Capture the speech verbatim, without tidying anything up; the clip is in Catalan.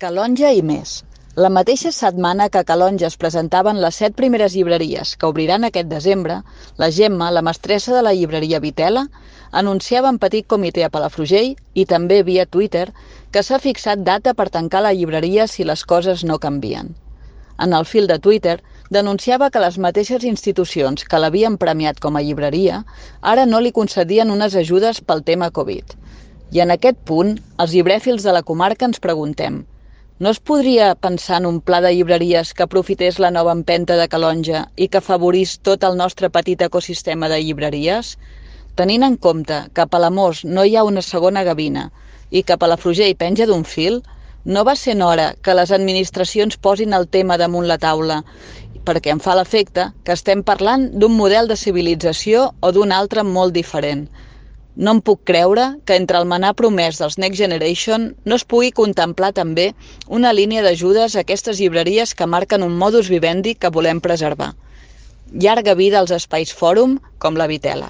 Calonge i més. La mateixa setmana que a Calonge es presentaven les set primeres llibreries que obriran aquest desembre, la Gemma, la mestressa de la llibreria Vitela, anunciava en petit comitè a Palafrugell i també via Twitter que s'ha fixat data per tancar la llibreria si les coses no canvien. En el fil de Twitter denunciava que les mateixes institucions que l'havien premiat com a llibreria ara no li concedien unes ajudes pel tema Covid. I en aquest punt, els llibrèfils de la comarca ens preguntem: no es podria pensar en un pla de llibreries que aprofités la nova empenta de Calonge i que afavorís tot el nostre petit ecosistema de llibreries? Tenint en compte que a Palamós no hi ha una segona gavina i que Palafrugell penja d'un fil, no va sent hora que les administracions posin el tema damunt la taula, perquè em fa l'efecte que estem parlant d'un model de civilització o d'un altre molt diferent. No em puc creure que entre el manar promès dels Next Generation no es pugui contemplar també una línia d'ajudes a aquestes llibreries que marquen un modus vivendi que volem preservar. Llarga vida als espais fòrum com la Vitela.